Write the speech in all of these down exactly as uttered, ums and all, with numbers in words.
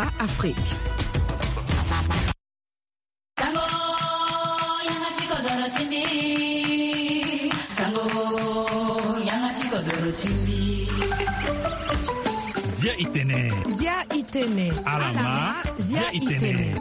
a Afrique. Sango, yanga ti kodoro ti mbi. Sango, yanga ti kodoro ti mbi. Zia itene. Zia itene. Alama, zia itene.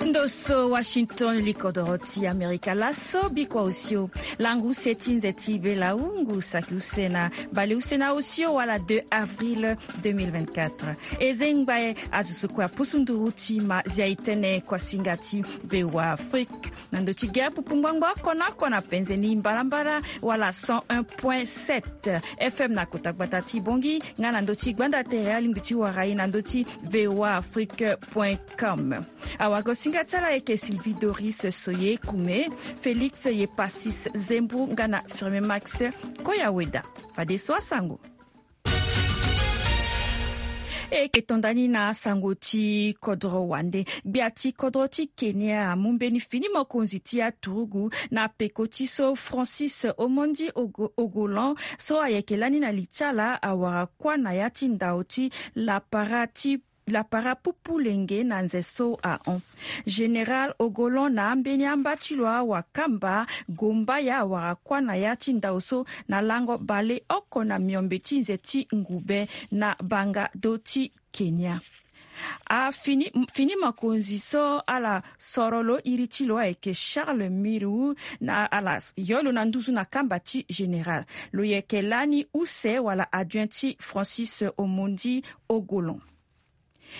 Ndo so Washington, li kodoro ti Amerika laso, bikua osio. Langu se ti nze ti bela ungu saki use na bale use na osio wala deux avril deux mille vingt-quatre. Eze ngbae azo so kue apusu nduru ti ma zia itene kuasinga ti V O A Afrique. Na ndo ti ge apupu ngbangbo oko na oko na penze ni mbalambala wala cent un point sept F M na kota gbata ti Bongi, nga na ndo ti gbanda tere alingbi ti wara e na ndo ti V O A Afrique point com. Awagosinga ti ala ayeke Sylvie Doris Soye Kume, Félix Yepasis Zembu nga na Firme Max Koyaweda. Fadeso asango. E yeke to nda ni na asango ti kodro wande. Gbia ti kodro ti Kenya amu mbeni fini mokonzi ti aturugu na peko ti so Francis Omondi Ogo-, Ogolon so ayeke lani na li ti ala awara kuâ na ya ti ndao ti lapara ti lapara pupu lenge na nze so ahon. Général Ogolon na ambeni amba ti lo awakamba Gombaya awara kuâ na ya ti ndao so na lango bale oko na miombe ti nze ti ngube na banga do ti Kenya. Afini, fini mokonzi so ala soro lo iri ti lo ayeke Charles Miru na ala s-, yo lo na nduzu na kamba ti général. Lo yeke lani use wala adjoint ti Francis Omondi Ogolon.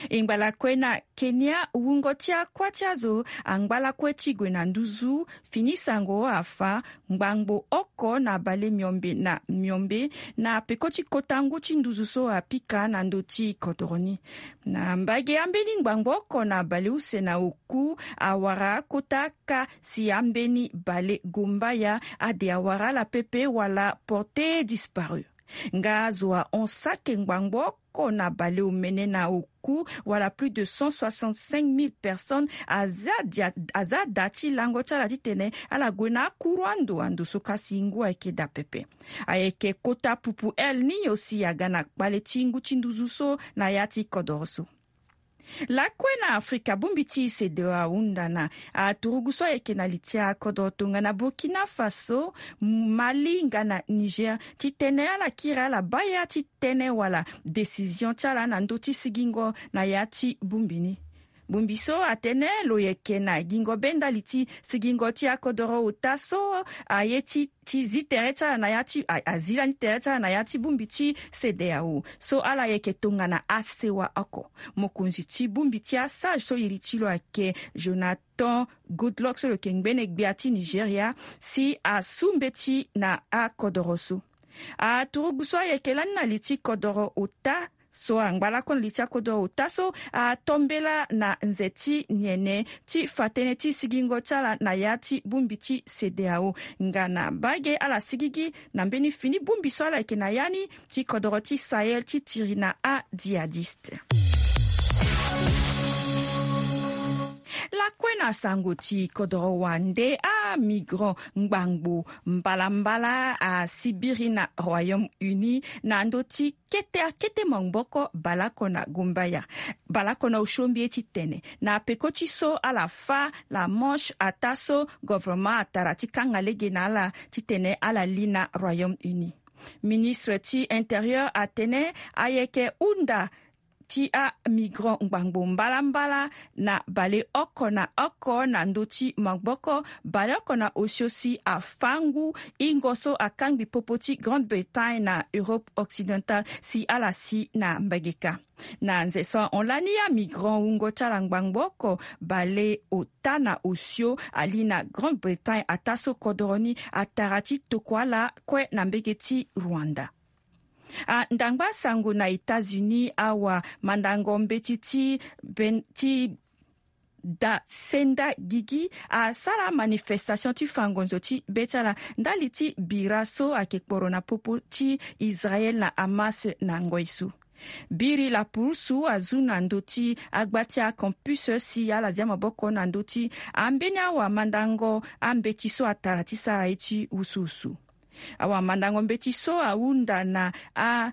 E ngba lakue na Kenya, wungo ti akuâ ti azo angba lakue ti gue na nduzu, fini sango afa ngbangbo oko na bale miombe na miombe na peko ti kota ngu ti nduzu so apika na ndö ti kodoro ni. Na mbage ambeni ngbangbo oko na bale use na oku awara akota ka si ambeni bale Gombaya ade awara ala pepe wala porté disparu. Nga azo ahon sake ngbangbo oko na bale omene na oku wala plus de cent soixante-cinq mille personnes aza dia-, aza da ti lango ti ala titene ala gue na akuru ando, ando so kasi ngu ayeke daa pepe. Ayeke kota pupu El Niño si aga na kpale ti ngu ti nduzu so na ya ti kodoro so. Lakue na Afrika, bongbi ti CEDEAO ahunda na aturugu so ayeke na li ti akodro tongana Burkina Faso, Mali nga na Niger titene ala kiri ala baa ya ti tënë wala décision ti ala na ndö ti sigingo na ya ti bongbi ni. Bongbi so atene lo yeke na gingo be ndali ti sigingo ti akodoro ota so aye ti ti zi tere ti ala na ya ti a, azi lani tere ti ala na ya ti bongbi ti CEDEAO so ala yeke tongana asewa oko. Mokonzi ti bongbi ti asage so iri ti lo ayeke Jonathan Goodluck so lo yeke ngbene gbia ti Nigeria si asu mbeti na akodoro so. Aturugu so ayeke lani na li ti kodoro ota so angba lakue na li ti akodoro ota so atombela na nze ti nyene ti fa tënë ti sigingo ti ala na ya ti bongbi ti CEDEAO. Nga na mbage ala sigigi na mbeni fini bongbi so ala yeke na ya ni ti kodoro ti Sahel ti tiri na adjihadiste. Lakue na sango ti kodoro wande, amigrant ngbangbo mbalambala asibiri na Royaume-Uni na ndö ti kete akete maboko baleoko na Gombaya, baleoko na osio mbi ye titene na peko ti so ala fâ la Manche ataa so gouvernement atara ti kanga lege na ala titene ala li na Royaume-Uni. Ministre ti Intérieur atene ayeke hunda ti amigrant ngbangbo mbalambala na baleoko na oko na ndö ti maboko baleoko na osio si afâ ngu hingo so akangbi popo ti Grande-Bretagne na Europe occidentale si ala si na mbage kâ. Na nze so ahon lani amigrant wungo ti ala ngbangbo oko baleota na osio ali na Grande-Bretagne ataa so kodoro ni atara ti tokua ala kue na mbage ti Rwanda. A, ndangba sango na États-Unis, awa mandango mbeti ti ben-, ti da senda gigi asara manifestation ti fa ngonzo ti be ti ala ndali ti bira so ayeke kporo na popo ti Israël na Hamas na ngoi so. Biri lapurusu azu na ndö ti agba ti acampus si ala zia maboko na ndö ti ambeni awamandango ambeti so atara ti sara ye ti wusuwusu. Awamandango mbeti so ahunda na a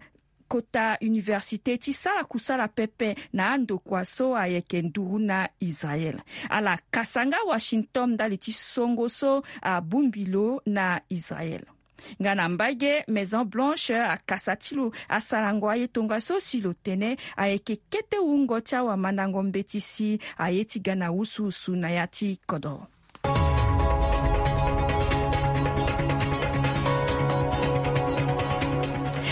kota université ti sara kusala pepe na andokua so ayeke nduru na Israël. Ala kasa nga Washington ndali ti songo so abongbi lo na Israël. Nga na mbage, Maison Blanche akasa ti lo asarango aye tongaso si lo tene ayeke kete wungo ti awamandango mbeti si aye ti ga na wusuwusu na ya ti kodro.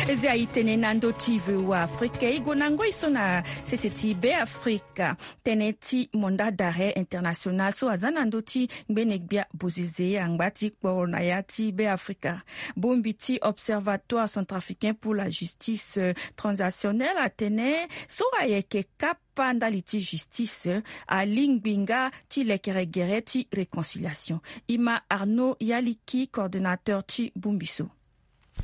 Eze aye tene na ndö ti V O A Afrika. E gue na ngoi so na sese ti Be Afrika. Tënë ti mandat d'arrêt international so aza na ndö ti ngbene gbia bozeze angba ti kporo na ya ti Be Afrika. Bongbi ti Observatoire Centrafricain pour la Justice, euh, Transitionnelle atene so ayeke kapa ndali ti justice, euh, alingbi nga ti lekere gere ti réconciliation. E ma Arnaud Yaliki, coordonnateur ti bongbi so.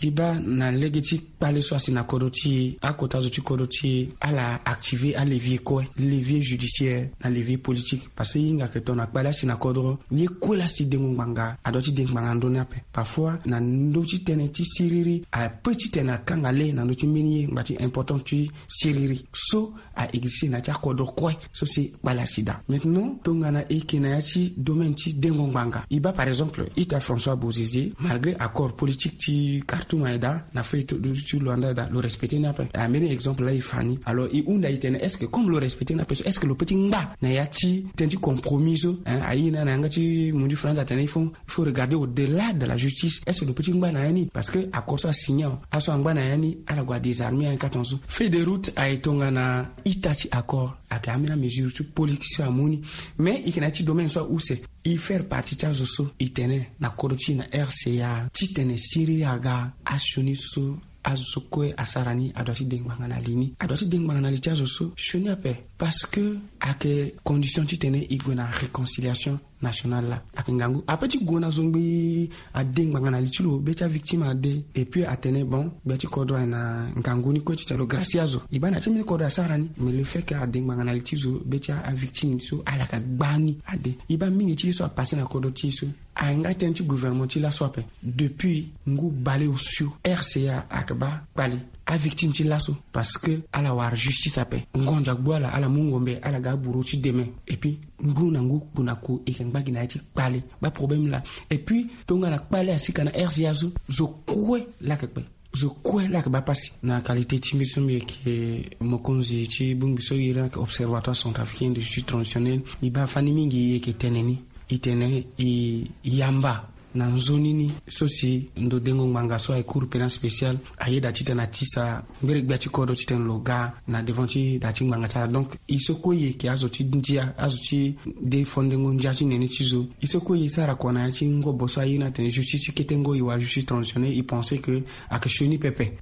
E baa na lege ti kpale so asi na kodro ti e, akota zo ti kodro ti e ala activer alevier kue, levier judiciaire na levier politique. Parce que e hinga ayeke tongana kpale asi na kodro, ye kue laa si dengo ngbanga adua ti de ngbanga na ndö ni ape. Parfois na ndö ti tënë ti siriri ape ti tene akanga le na ndö ti mbeni ye ngba ti important ti siriri so a existe na ya ti akodro kue so si kpale asi daa. Maintenant tongana e yeke na ya ti domaine ti dengo ngbanga, e baa par exemple ita François Bozizé, malgré accord politique ti Khartoum aye daa, na feuille ti Luanda aye daa, lo respecter ni ape. Ambeni exemple laa e fa ni. Alors e hunda e tene est-ce que comme lo respecter ni ape so, est-ce que lo peut ti ngba na ya ti tënë ti compromis so, hein, aye ni na yanga ti mundu France atene il faut, il faut regarder au-delà de la justice. Est-ce que lo peut ti ngba na ya ni? Parce que accord so asigné awe, aso angba na ya ni ala gue adésarmer aye kâ tongaso. Feuille de route aye tongana ita ti accord ayeke ambeni amesure ti politique so amu ni. Mais e yeke na ya ti domaine so ause. E faire partie ti azo so e tene na kodro ti e na R C A titene siriri aga, asioni so azo so kue asara ni adua ti de ngbanga na li ni, adua ti de ngbanga na li ti azo so sioni ape. Parce que ayeke condition titene e gue na réconciliation nationale laa. Ayeke ngangu ape ti gue na zo ngbii ade ngbanga na li ti lo, be ti avictime ade. Et puis atene bon, gbia ti kodro aye na ngangu ni kue titene lo gracier azo. E baa na ya ti mbeni kodro asara ni, mais le fait que ade ngbanga na li ti zo, be ti avictime so ala yeke gba ni ade. E baa mingi ti ye so apasser na kodro ti e so. Aye nga tënë ti gouvernement ti laso ape. Depuis ngu baleosio, R C A ayeke baa kpale. Avictime ti laso, parce que ala wara justice ape. Ngonzo agbu ala, ala mu ngombe, ala ga aburo ti demain. Et puis ngu na ngu kpo na ko e yeke ngba gi na ya ti kpale. Baa problème laa. Et puis tongana kpale asika na R C A so, zo kue laa ayeke kpe. Zo kue laa ayeke baa pasi. Na qualité ti mbi so mbi yeke mokonzi ti bongbi so iri ni ayeke Observatoire Centrafricain de Justice Transitionnelle, mbi baa fani mingi e yeke tene ni. E tene e yamba na nzoni ni so si ndo dengo ngbanga so aye Cour pénale spéciale ayeda titene atisa ngbere gbia ti kodro titene lo ga na devant ti da ti ngbanga ti ala. Donc e so kue e yeke azo ti ndia, azo ti défendre ngu ndia ti nene ti zo. E so kue e sara kua na ya ti ngobo so aye ni atene justice ti kete ngoi wala justice transitionnelle, e pense que ayeke sioni pepe.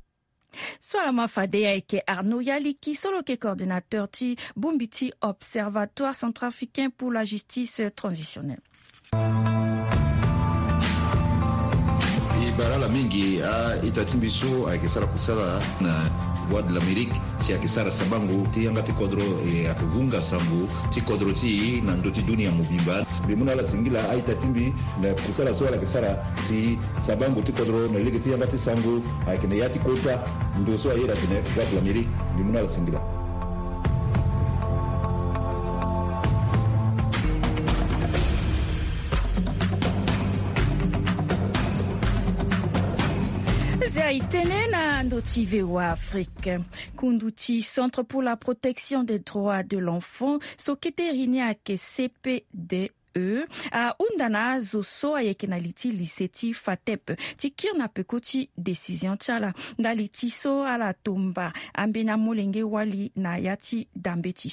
So ala ma fade ayeke Arnaud Yaliki so lo yeke coordinateur ti bongbi ti Observatoire Centrafricain pour la Justice Transitionnelle. E bara ala mingi a-ita ti mbi so ayeke sara kusala na Voix de l'Amérique si ayeke sara sabango ti yanga ti kodro, e ayeke vunga sango ti kodro ti e na ndö ti dunia mobimba. Mbi mu na ala singila a-ita ti mbi na kusala so ala yeke sara si sabango ti kodro na lege ti yanga ti sango ayeke na ya ti kota ndo so ayeda atene Voix de l'Amérique. Mbi mu na ala singila. Zia e tene na ndo ti V O A Afrique. Kundu ti Centre pour la protection des droits de l'enfant so kete iri ni ayeke C P D E ahunda na azo so ayeke na li ti lycée ti FATEP ti kiri na peko ti décision ti ala ndali ti so ala tomba ambeni amolenge wali na ya ti dambe ti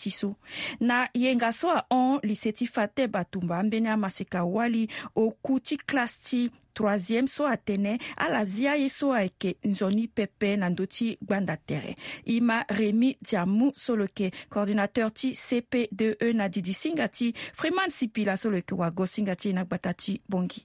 so. Na yenga so ahon lycée ti FATEP atumba ambeni amaseka wali oku ti classe ti troisième so atene ala zia ye so ayeke nzoni pepe na ndö ti gbanda tere. E ma Rémy Diamou so lo yeke coordinateur ti C P D E na didi singa ti Freeman Sipila so lo yeke wago singa ti e na gbata ti Bangui.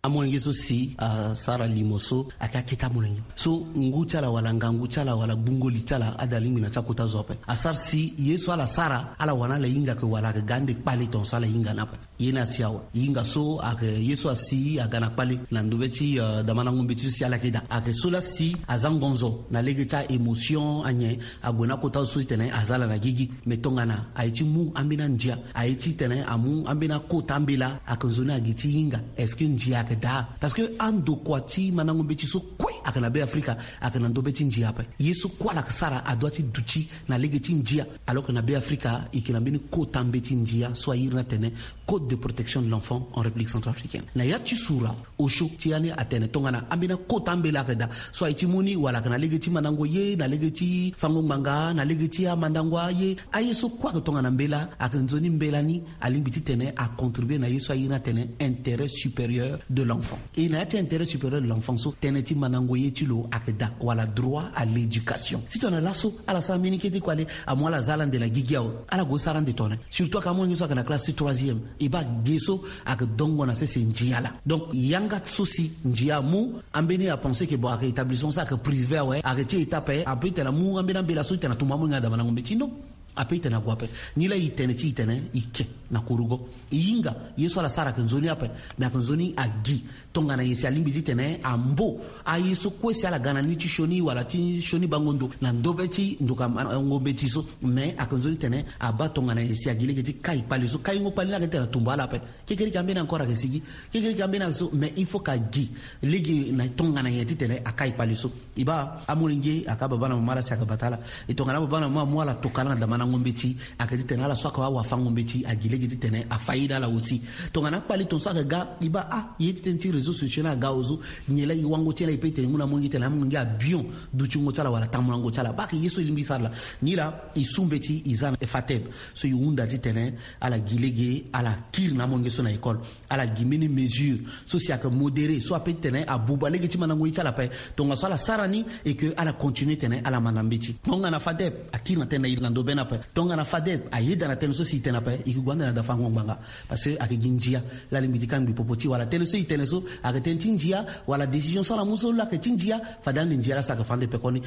Amolenge so si asara limo so ayeke akete amolenge so ngu ti ala wala ngangu ti ala wala gbungo li ti ala ade alingbi na ti akota zo ape. Asara si ye so ala sara ala wara na ala hinga ayeke wala ayeke ga ande kpale tongaso ala hinga ni ape. Ye ni asi awe. Hinga so ayeke ye so asi aga na kpale na ndobe ti damandango mbeti so si ala yeke daa ayeke so laa si aza ngonzo na lege ti a-émotion anyen ague na akota zo so ti tene aza ala na gigi. Mais tongana aye ti mu ambeni andia aye ti tene amu ambeni akota ambela ayeke nzoni agi ti hinga. Est-ce que ndia ayeke daa? Parce que andokua ti mandango mbeti so kue ayeke na Be Afrika ayeke na ndobe ti ndia ape. Ye so kue ala yeke sara adoit ti duti na lege ti ndia. Alors que na Be Afrika e yeke na mbeni kota mbeti ndia so a iri ni atene Code de protection de l'enfant en République centrafricaine. Na ya ti sura osio ti ya ni atene tongana ambeni akota ambela ayeke daa so aye ti mu ni wala ayeke na lege ti mandango ye na lege ti fango ngbanga na lege ti amandango aye. Aye so kue ayeke tongana mbela ayeke nzoni mbela ni alingbi ti tene acontribue na ye so a iri ni atene intérêt supérieur de l'enfant. E na ya ti intérêt supérieur de l'enfant so tënë ti mandango ye ti lo ayeke daa wala droit à l'éducation. Si tongana laso ala sara mbeni kete kue ale amu ala za ala nde na gigi awe. Ala gue sara nde tongana surtout ayeke amolenge so ayeke na classe ti troisième. E baa ge so ayeke dongo na sese ndia laa. Donc yanga so si ndia amu ambeni apense ke bon ayeke établissement so ayeke privé awe ayeke ti étape ape e tene amu ambeni ambela so e tene atumba amolenge na damandango mbeti non. Ape e tene ague ape. Nilaa e tene ti e tene e ke na kurugo. E hinga ye so ala sara ayeke nzoni ape. Mais ayeke nzoni agi tongana nyen si alingbi ti tene ambo aye so kue si ala ga na ni ti sioni wala ti sioni bango ndo na ndobe ti ndoka mandango mbeti so. Mais ayeke nzoni tene abaa tongana nyen si agi lege ti kai kpale so kaingo kpale ni ayeke ti tene atumba ala ape. Kekereke ambeni encore ayeke sigi. Kekereke ambeni ayeke so mais il faut ka gi lege na tongana nyen ti tene akai kpale so. E baa amolenge ayeke ababa na mama laa si ayeke bata ala. E tongana ababa na mama amu ala tokala na damandango mbeti ayeke ti tene ala so ayeke awafango mbeti agi lege ti tene afa ye na ala aussi. Tongana akpale tongaso ayeke ga e baa a ye ti tene ti réseau sociaux ni aga ozo. Nyen laa e wango ti e laa e pe e tene ngu na amolenge ti tene amolenge abion dutingo ti ala wala tambulango ti ala baa ayeke ye so e lingbi e sara laa. Nilaa e su mbeti e za na fateb so e hunda ti tene ala gi lege ala kiri na amolenge so na école. Ala gi mbeni mesure so si ayeke modéré so ape ti tene abuba lege ti mandango ye ti ala ape. Tongaso ala sara ni et que ala continue tene ala manda mbeti. Tongana fadep akiri na tënë na e na ndobeni ape. Tongana fadep ayeda na tënë so si e tene ape e ke gue ande na dafango ngbanga. Parce que ayeke gi ndia laa alingbi ti kangbi popo ti e wala tënë so e tene so ayeke tënë ti ndia wala décision so ala mu so laa ayeke ti ndia. Fade ande ndia laa si ayeke fa ande pekoni.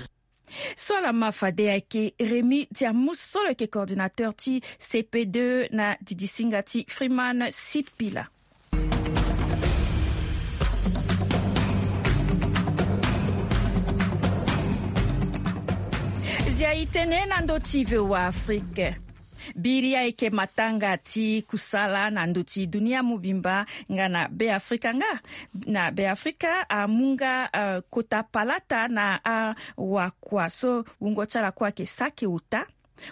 So ala ma fade ayeke Rémi Diamou so lo yeke coordinateur ti C P deux na didisinga ti Freeman Sipila. Zia e tene na ndö ti V O A Afrique. Biri ayeke matanga ti kusala na ndö ti dunia mobimba nga na Be Afrika nga. Na Be Afrika amu nga, eh, kota palata na awakua so wungo ti ala kue ayeke saki ota.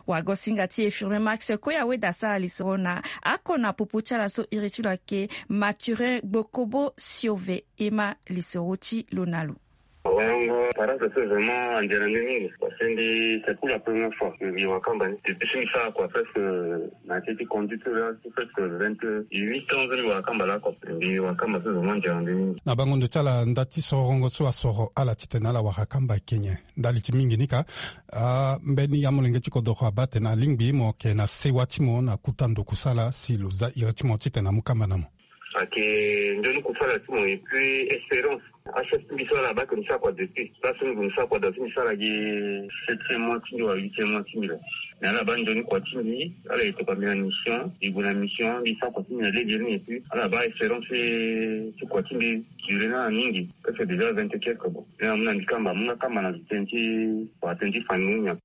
Wagosinga ti e Firmin Max Koya weda sara lisoro na ako na popo ti ala so iri ti lo ayeke Mathurin Gbokobo Siove. E ma lisoro ti lo na lo. Awayango parasa so vraiment andiara nde mingi parce que mbi c'est pour la première fois mbi wara kamba ni depuis so mbi sara kua presque na ya ti conduite la so presque vingt-huit ans so mbi wara kamba la kua. Mbi wara kamba so vraiment andiara nde mingi. Na bango ndo ti ala nda ti sorongo so asoro ala titene ala wara kamba ayeke nyen? Ndali ti mingi ni ka, ah, mbeni amolenge ti kodoro abaa atene alingbi mo yeke na sewa ti mo na kuta ndo kusala si lo za iri ti mo titene amu kamba na mo. Ayeke nzoni kusala ti mo et puis espérance. Achef ti mbi so ala baa ke mbi sara kua depuis place so mbi gue mbi sara kua da so mbi sara gi septième mois ti mbi wala huitième mois ti mbi la. Mais ala baa nzoni kua ti mbi ala yeke tokua mbi na mission mbi gue na mission mbi sara kua ti mbi na lege ni et puis ala baa espérance ti kua ti mbi duré na ala mingi. Presque déjà vingt et quelque bon. Ni amu na mbi kamba amu nga kamba na tënë ti kua tënë ti famille ni.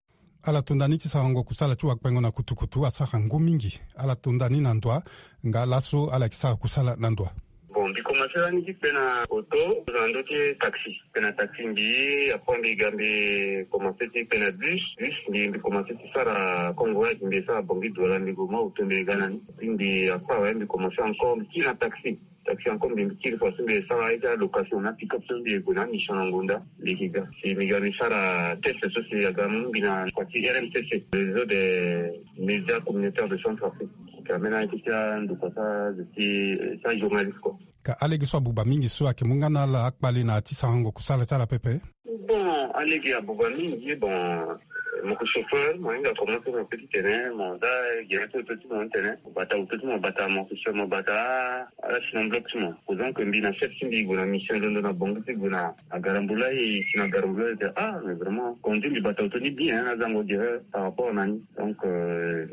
Ala to nda ni ti sarango kusala ti wakpengo na kutukutu asara ngu mingi. Ala to nda ni na ndo wa nga laso ala yeke sara kusala na ndo wa. Bon mbi komanse lani ti kpe na auto na ndö ti taxi. Kpe na taxi mbi après mbi ga mbi komanse ti kpe na bus bus mbi mbi komanse ti sara kongo waya ti mbi sara bongi duala mbi gue mwa auto mbi ga na ni. Ti mbi après awe mbi komanse encore mbi kiri na taxi. Taxi encore mbi mbi kiri parce que mbi sara aye ti alocation na pick-up so mbi gue na mission na ngonda. Mbi yeke ga si mbi ga mbi sara test so si aga mu mbi na kua ti R M C C, réseau des médias communautaires de Centrafrique. Ka mbeni aye ti ti andokua ti azo ti ti ajournaliste kua. Ka alege so abuba mingi so ayeke mu nga na ala akpale na ya ti sarango kusala ti ala pepe. Bon alege abuba mingi bon. Mo ke chauffeur, mo hinga commencer mo pe ti tene mo za gere ti auto ti mo ti tene mo bata auto ti mo bata mo ke chauffeur mo bata ala sinon bloc ti mo. Posant ke mbi na chef ti mbi gue na mission londo na bongo ti gue na garambula e si na garambula e te ah mais vraiment conduit mbi bata auto ni bien azango gere par rapport na ni. Donc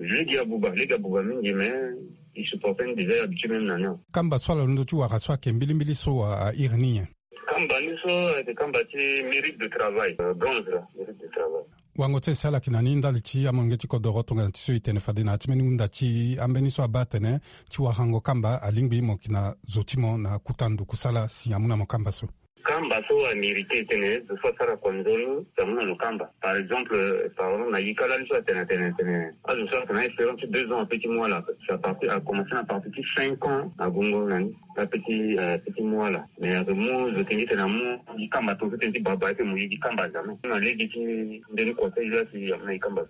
lege abuba lege abuba mingi mais il supporte ni déjà habitué même na ni. Kamba so ala londo ti wara so ayeke mbilimbili so a iri ni nyen? Kamba ni so ayeke kamba ti mérite de travail bronze la mérite de travail. Wango ti e si ala yeke na ni ndali ti amolenge ti kodoro tongana ti so e tene fade na ya ti mbeni hunda ti ambeni so abaa atene ti warango kamba alingbi mo yeke na zo ti mo na kuta ndo kusala si amu na mo kamba so. Kamba so amérite tene zo so asara kua nzoni si amu na lo kamba par exemple. Par exemple na yika lani so atene atene atene azo so ayeke na espérance ti deux ans ape ti mu ala ape si aparti akomense na parti ti cinq ans na gongo na ni. Ape ti ape ti mu ala mais ake mu zo tene ti tene amu gi kamba tongaso tene ti baba aye pe mo ye gi kamba jamais na lege ti mbeni conseil la si amu na gi kamba.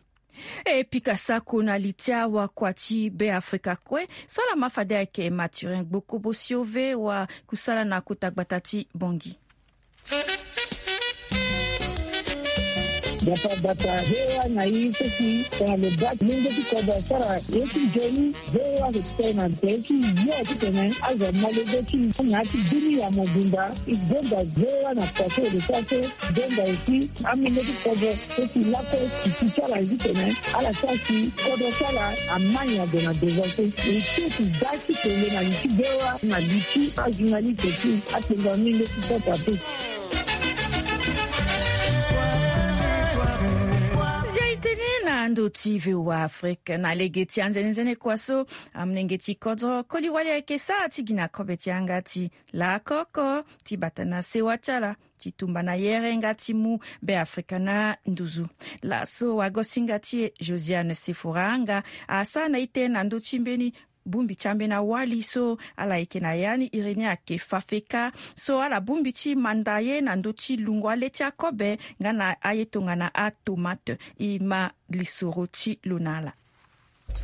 E pika sako na li ti awakua ti Beafrika kue so ala ma fade ayeke Mathurin Gbokobo sio ve wa kusala na kota gbata ti Bangui. Gbata gbata he wa na i so si tongana lo baa ti lenge ti kodro asara ye ti nzoni. Ve wa lo tene na tere ti yo titene azo amolenge ti na ya ti dunia mobimba. E gonda ve wa na kua so lo sara so. Gonda aussi amolenge ti kodro so si lakue si ti ti ala titene ala sara si kodro ti ala amai ague na devant so. E ti si da ti tene na li ti ve wa na li ti ajournaliste ti apenga mingi ti kota pe. Zia e tene na ndo ti V O A Afrique na lege ti anzenenzene kua so. Amolenge ti kodro koli wali ayeke sara ti gi na kobe ti yanga ti laa koko ti bata na sewa ti ala ti tumba na yere nga ti mu Beafrika na nduzu. Laso wagosinga ti e Josiane Sefora nga asara na ite na ndö ti mbeni bongbi ti ambeni awali so ala yeke na ya ni iri ni ayeke FAFECA so ala bongbi ti manda ye na ndö ti lungo ale ti akobe nga na aye tongana atomate. E ma lisoro ti lo na ala.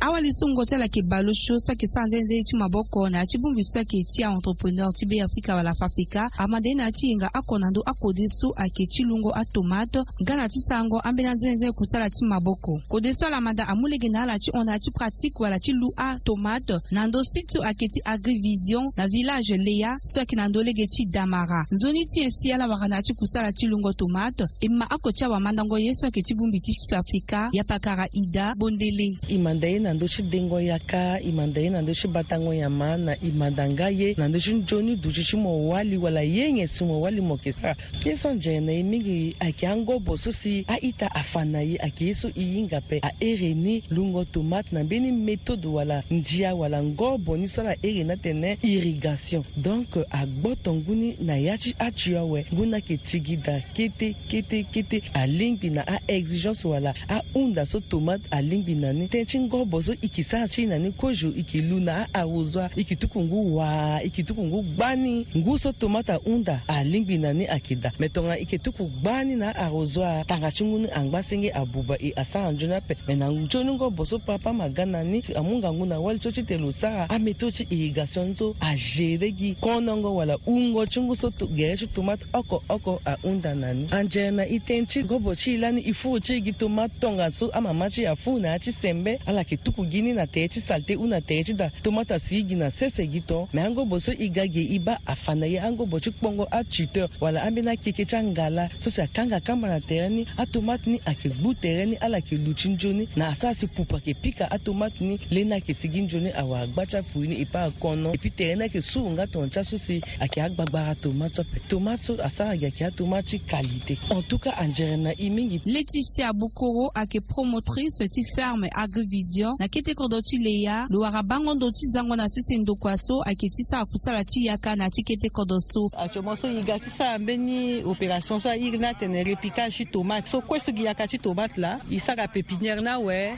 Awali so wungo ti ala ayeke bale osio so ayeke sara nzenenzene ti maboko na ya ti bongbi so ayeke ti a-entrepreneur ti Beafrika wala FAFECA amanda ye na ya ti yenga oko na ndö akode so ayeke ti lungo atomate nga na ti sarango ambeni anzenenzene kusala ti maboko. Kode so ala manda amu lege na ala ti hon na ya ti pratique wala ti lu atomate na ndö site so ayeke ti Agrivision na village Lea so ayeke na ndö lege ti Damara. Nzoni ti nyen si ala wara na ya ti kusala ti lungo tomate? E ma oko ti awamandango ye so ayeke ti bongbi ti FAFECA, Yapakara Ida Bondele. E manda ye na ndö ti dengo yaka, e manda ye na ndö ti batango nyama, na e manda nga ye na ndö ti nzoni duti ti mo wali wala ye nyen si mo wali mo yeke sara. Ye so anzere na e mingi ayeke angobo so si a-ita afa na e ayeke ye so e hinga ape. A iri ni lungo tomate na mbeni méthode wala ndia wala ngobo ni so ala iri ni atene irrigation. Donc agboto ngu ni na ya ti atu awe ngu ni ayeke tigida kete kete kete. Alingbi na a-exigence wala ahunda so tomate alingbi na ni. Tënë ti ngobo so e ke sara ti e na ni kozo e ke lu na a-arrosoir e ke tuku ngu waa e ke tuku ngu gbani. Ngu so tomate ahunda alingbi na ni ayeke daa. Me tongana e ke tuku gbani na a-arrosoir tanga ti ngu ni angba senge abuba e asara nzoni ape. Me na nzoni ngobo so papa ama ga na ni amu ngangu na wali so titene lo sara améthode ti irrigation ni so agere gi konongo wala wungo ti ngu so gere ti tomate oko oko ahunda na ni. Anzere na e tënë ti ngobo ti e lani e furu ti e gi tomate tongaso amama ti e afuru na ya ti sembe ala yeke tuku gi ni na tere ti salete ou na tere ti daa. Tomate asi gi na sese gi ton. Me angobo so e ga ge e baa afa na e angobo ti kpongo atuteur wala ambeni akeke ti angala so si akanga kamba na tere ni. Atomate ni ayeke gbu tere ni ala yeke luti nzoni na asara si pupu ayeke pika atomate ni. Leni ayeke sigi nzoni awara gba ti afui ni e pe akono epi tere ni ayeke suru nga tongana ti aso si ayeke agbagbara tomate so ape. Tomate so asara gi ayeke atomate ti qualité. En tout cas anzere na e mingi. Laetitia Bokoro ayeke promotrice ti ferme Agrivision na kete kodro ti Leya. Lo wara bango ndo ti zango na sese ndokua so ayeke ti sara kusala ti yaka na ya ti kete kodro so. Actuellement so e ga ti sara mbeni opération so a iri ni atene repiquage ti tomate so kue so gi yaka ti tomate laa e sara pépinière ni awe.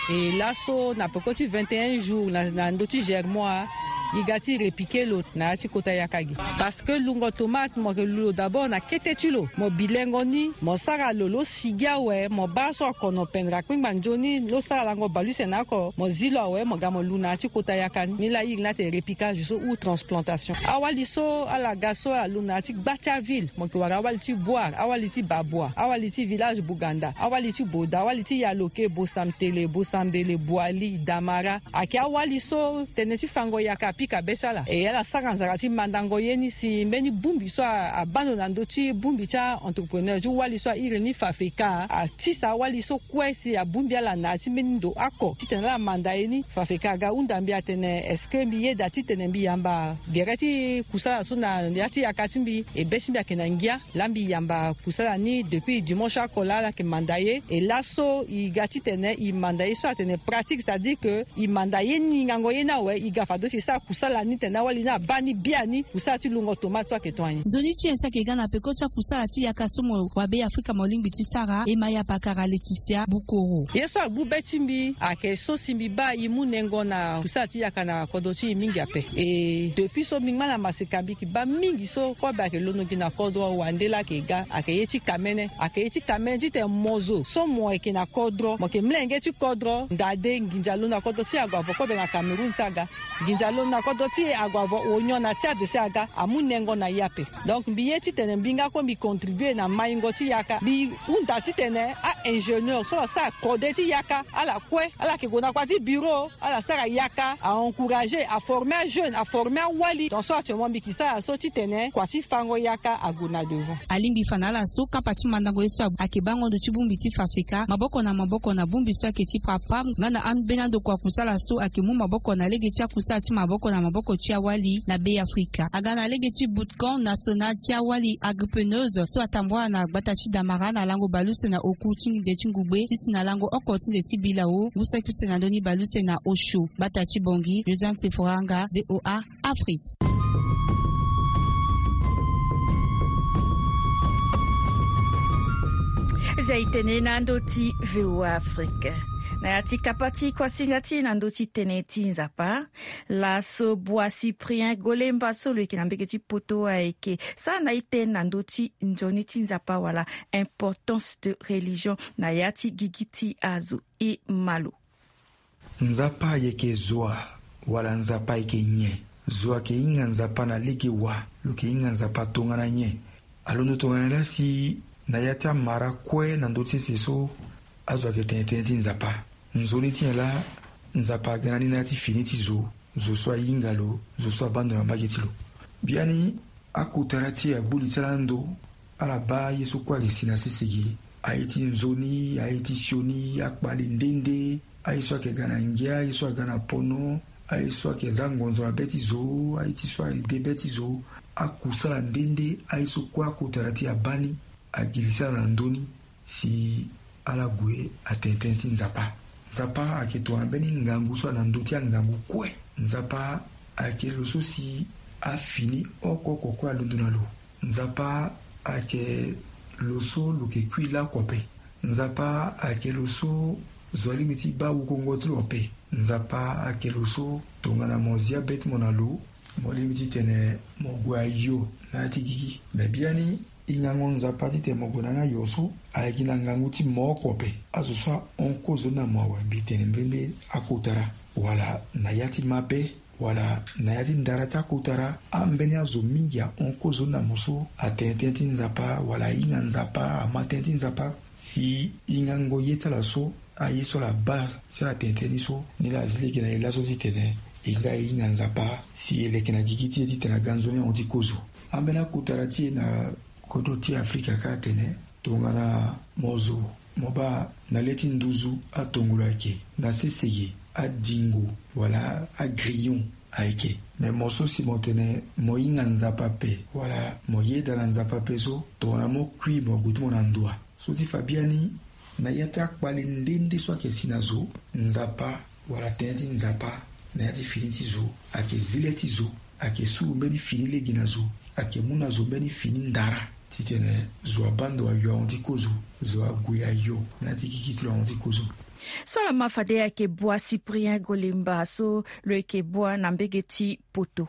E laso na peko ti vingt et un jours na ndö ti germois E ga ti repiquer lo na ya ti kota yaka gi. Parce que lungo tomate mo yeke lu lo d'abord na kete ti lo, mo bi lengo ni, mo sara lo lo sigi awe, mo baa so akono pendere akpengba nzoni lo sara lango baleuse na oko, mo zi lo awe, mo ga mo lu na ya ti kota yaka ni. Ni laa iri ni atene repiquage so ou transplantation. Awali so ala ga so ala lu na ya ti gba ti aville, mo yeke wara awali ti Bouar, awali ti Babua, awali ti village Bouganda, awali ti Boda, awali ti Yaloke, Bosamtele, Bosambele, Boali, Damara. Ayeke awali so tënë ti fango yaka apika be ti ala. E ala sara nzara ti mandango ye ni si mbeni bongbi so a, abaa ndo na ndö ti bongbi ti a-entrepreneur ti wali so a iri ni Fafeka, atisa awali so kue si abongbi ala na ya ti mbeni ndo oko titene ala manda ye ni. Fafeka aga hunda mbi atene, est-ce que mbi yeda titene mbi yamba gere ti kusala so na ya ti yaka ti mbi? E be ti mbi ayeke na ngia. Laa mbi yamba kusala ni depuis dimanche oko laa ala yeke manda ye. E laso e ga titene e manda ye so atene pratique, c'est-à-dire que e manda ye ni, ngango ye ni awe, e ga fade ti e sara kusala ni tene awali ni abaa ni biani. Kusala ti lungo tomate so ayeke tonga nyen? Nzoni ti nyen so ayeke ga na peko ti akusala ti yaka so mo wa Be Afrika mo lingbi ti sara? E ma ya pakara Laetitia Bukoro. Ye so agbu be ti mbi ayeke so si mbi baa e mu nengo na kusala ti yaka na kodro ti e mingi ape. E depuis so mbi ngba na maseka mbi yeke baa mingi so kobe ayeke londo gi na kodro, wande laa ayeke ga, ayeke ye ti kamene, ayeke ye ti kamene titene mo zo so mo yeke na kodro, mo yeke molenge ti kodro, ndade nginza londo na kodro ti e ague avo kobe na Cameroun ti aga. Nginza londo na kodro ti e ague avo onyon na ti ade si aga, amu nengo na e ape. Donc mbi ye titene mbi nga kue mbi contribue na maingo ti yaka. Mbi hunda titene a-ingénieur so asara kode ti yaka, ala kue, ala yeke gue na kua ti bureau, ala sara yaka, a-encourager, a-former ajeune, a-former awali. Donc so actuellement mbi yeke sara so titene kua ti fango yaka ague na devant. Alingbi fa na ala so kapa ti mandango ye so ayeke bango ndo ti bongbi ti Fafeka, maboko na maboko na bongbi so ayeke ti PRAPAM, nga na ambeni andokua kusala so ayeke mu maboko na lege ti akusala ti maboko na maboko ti awali na Be Afrika. Aga na lege ti bootcamp national ti awali agripreneuse so atambula na gbata ti Damara na lango baleuse na oku ti nde ti ngugbe ti si na lango oko ti nde ti bilao. Ngu saki use na ndö ni baleuse na osio. Gbata ti Bangui, Josiane Seforanga, V O A Afrique. Zia e tene na ndö ti V O A Afrique. Na ya ti kapa ti kuasinga ti e na ndö ti tënë ti Nzapa, laso Bois Cyprien Golemba so lo yeke na mbege ti poto ayeke sara na e tënë na ndö ti nzoni ti Nzapa wala importance de religion na ya ti gigi ti azo. E ma lo. Nzapa ayeke zo wa, wala Nzapa ayeke nyen? Zo ayeke hinga Nzapa na lege wa? Lo yeke hinga Nzapa tongana nyen? Alondo tongana nyen laa si na ya ti amara kue na ndö ti sese so azo ayeke tene tënë ti Nzapa? Nzoni ti nyen laa Nzapa aga na ni na ya ti fini ti zo, zo so ahinga lo, zo so abaa ndo na mbage ti lo? Biani akotara ti e agbu li ti ala ando. Ala baa ye so kue ayeke si na sese ge. Aye ti nzoni, aye ti sioni, akpale nde nde, aye so ayeke ga na ngia, aye so aga na pono, aye so ayeke za ngonzo na be ti zo, aye ti so ayeke de be ti zo, akusala nde nde, aye so kue akotara ti e abaa ni, agi li ti ala na ndö ni si ala gue atene tënë ti Nzapa. Nzapa ayeke tongana mbeni ngangu so ayeke na ndö ti angangu kue. Nzapa ayeke lo so si afini oko oko kue alondo na lo. Nzapa ayeke lo so lo yeke kui laoko ape. Nzapa ayeke lo so zo alingbi ti baa wukongo ti lo ape. Nzapa ayeke lo so tongana mo zia be ti mo na lo, mo lingbi titene mo gue ayo na ya ti gigi. Me biani e ngango Nzapa titene mo gue na ni ayo so ayeke gi na ngangu ti mo oko ape. Azo so ahon kozo ni na mo awe, mbi tene mbrimbri akotara wala na ya ti mabe wala na ya ti ndara ti akotara. Ambeni azo mingi ahon kozo ni na mo so atene tënë ti Nzapa wala ahinga Nzapa, ama tënë ti Nzapa. Si e ngango ye ti ala so, aye so ala baa si ala tene tënë ni so, ni laa azi lege na e laso titene e nga e hinga Nzapa si e leke na gigi ti e titene aga nzoni ahon ti kozo. Ambeni akotara ti e na kodro ti Afrika kâ atene tongana mo zo, mo baa na le ti nduzu atongolo ayeke, na sese ge adingo wala agrillon ayeke. Me mo so si mo tene mo hinga Nzapa ape wala mo yeda na Nzapa ape so, tongana mo kui mo gue ti mo na ndoa. So ti fa biani, na ya ti akpale nde nde so ayeke si na zo, Nzapa wala tënë ti Nzapa na ya ti fini ti zo ayeke zi le ti zo, ayeke suru mbeni fini lege na zo, ayeke mu na zo mbeni fini ndara titene zo abaa ndo ayo ahon ti kozo, zo ague ayo na ya ti gigi ti lo ahon ti kozo. So lama fade ayeke bua Cyprien Golemba so lo yeke bua na mbege ti poto.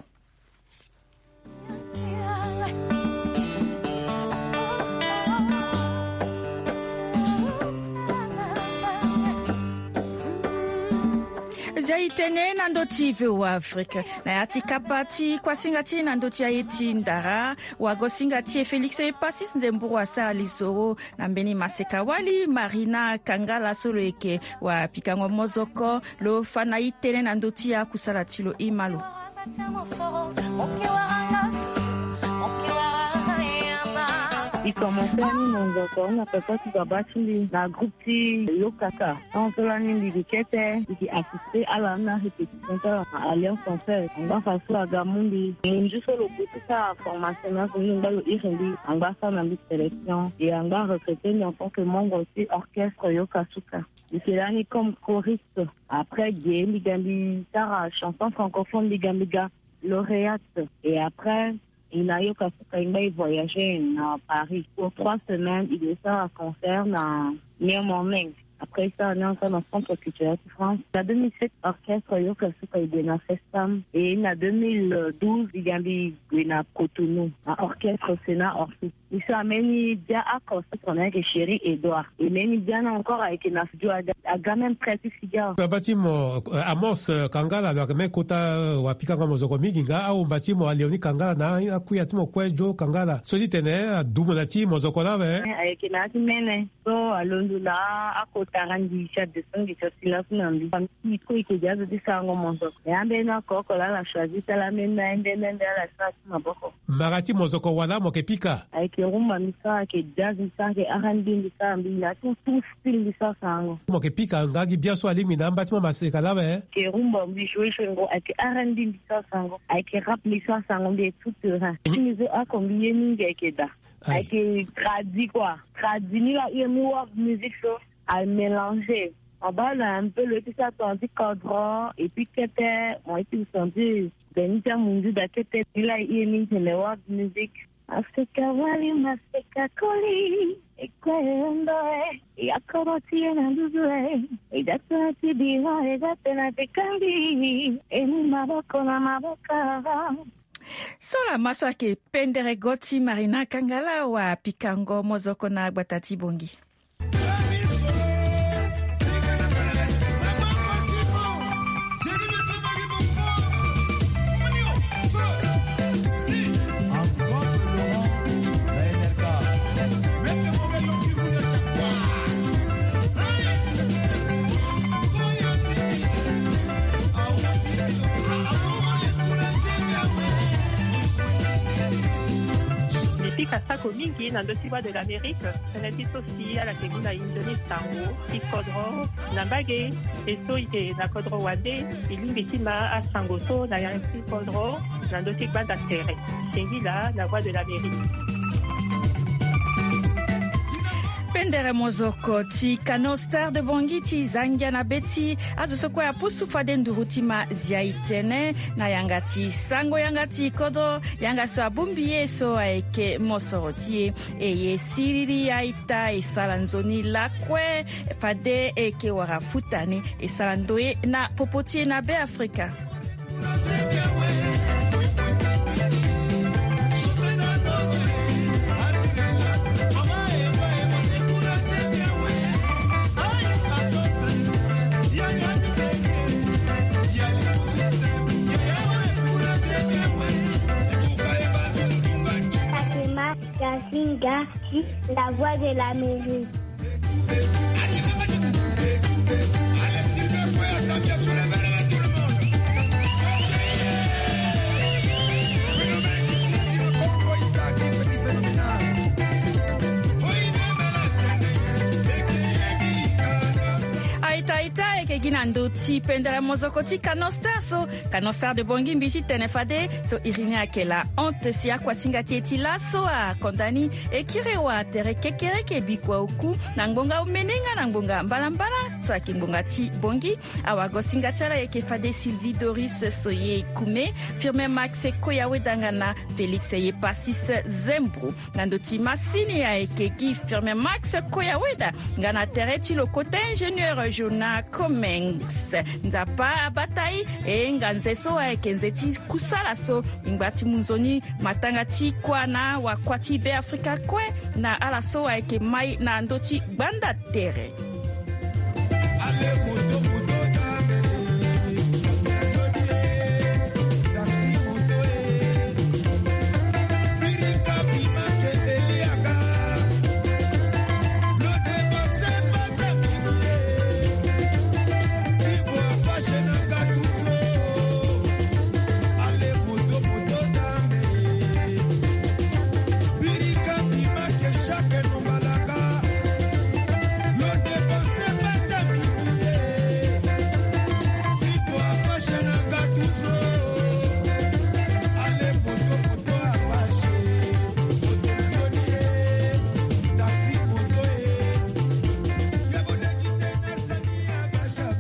Zia e tene na ndö ti V O A Afrique na ya ti kapa ti kuasinga ti e na ndö ti aye ti ndara. Wagosinga ti e Félix Epasis Nzemburu asara lisoro na mbeni maseka wali Marina Kangala so lo yeke wapikango mozoko. Lo fa na e tënë na ndö ti akusala ti lo, e ma lo. E commencer ni mozoko na peko ti baba ti mbi na groupe ti Yokaka. Tant so lani mbi gi kete mbi gi assister ala na répétition ti ala na Alliance Française. Angba fa so aga mu mbi, munzu so lo gue ti sara formation na azo ni, angba lo iri mbi, angba asara na mbi sélection et angba arecruter mbi en tant que membre ti orchestre Yokasuka. Mbi yeke lani comme choriste. Après ge mbi ga mbi sara chanson francophone, mbi ga mbi ga lauréate. Et après e na Yokasuka e ngba e voyager na Paris pour trois semaines, e gue sara concert na New Morning. Après e sara ni encore na Centre Culturel ti France. Na deux mille sept orchestre Yokasuka e gue na Festam. Et na deux mille douze e ga mbi gue na Cotonou na orchestre Sénat Orpheus. E so ambeni bia oko so tongana ayeke Chéri Edouard. E mbeni bia ni encore ayeke na studio, aga, aga même près ti figure. Baba ti mo, euh, Amos, euh, Kangala lo yeke même kota, euh, wapikango mozoko mingi nga ahomba ti mo Léonie Kangala na akuya ti mo kue Joe Kangala so ti tene adumu na ti mozoko lawe. Eh, ayeke na ya ti mene so alondo na akota randi ti adescend ti asi laso na mbi. Famille ti e kue e yeke gi azo ti sarango mozoko. E ambeni oko oko laa ala choisi ti ala ambeni na ende ende ala sara ti maboko. Mara ti mozoko wala mo yeke pika? Ayeke rumba mbi sara, ayeke jazz mbi sara, ayeke R and B mbi sara, mbi na tout, tout style mbi sara sarango. Mo yeke pika nga gi bia so alingbi na amba ti mo maseka lawe? Ayeke rumba mbi joue joue ngo, ayeke R and B mbi sara sarango, ayeke rap mbi sara sarango, mbi est tout terrain. Ti mbi so oko mbi ye mingi ayeke da. Aye. Ayeke tradi quoi. Tradi ni laa e mu world music so. Amélanger. On bâ na un peu lo ye ti sara tongana ti kodro et puis kete mo ye ti sentir. Beni ti amunzu da kete ni laa e ye mingi tene world music. Maseka wali maseka koli. E kue e hon ndo e. E ya kodro ti e na nduzu e. E da tënë ti bira e da tënë ti kangbi. E mu maboko na maboko. So lama so ayeke pendere go ti Marina Kangala wapikango mozoko na gbata ti Bongi. Mbi pika sako mingi na ndö ti Voix de l'Amérique. Tënë ti so si ala yeke mu na e nzoni sango ti kodro na mbage. E so e yeke na kodro wande, e lingbi ti ma asango so na yanga ti kodro na ndö ti gbanda tere. Singila na Voix de l'Amérique. Pendere mozoko ti Kano Star de Bongi ti za ngia na be ti azo so kue apusu fade nduru ti ma zia e tene na yanga ti sango yanga ti kodro, yanga so abongbi ye so ayeke mosoro ti e. E ye siriri aita e sara nzoni lakue fade e yeke wara futa ni e sara ndoye na popo ti e na Beafrika. Fatima Gasinga, la voix de l'Amérique. Aita aita, e yeke gi na ndö ti pendere mozoko ti Kano Star so. Kano Star de Bongi mbi ti tene fade so iri ni ayeke la honte si akuasinga ti e ti laso akonda ni. E kiri wa tere kekereke bikua oku na ngbonga omene nga na ngbonga mbalambala. So ayeke ngbonga ti bongi. Awagosinga ti ala ayeke fade Sylvie Doris Soye Kume, Firmin Max Koya Weda nga na Félix Yepasis Zembro. Na ndö ti masini ayeke gi Firmin Max Koya Weda nga na tere ti lo kota ingénieur Jonah Comings. Nzapa abata e, e nga nze so ayeke nze ti kusala so e ngba ti mu nzoni matanga ti kuâ na wakua ti Be Afrika kue. Na ala so ayeke mai na ndö ti gbanda tere.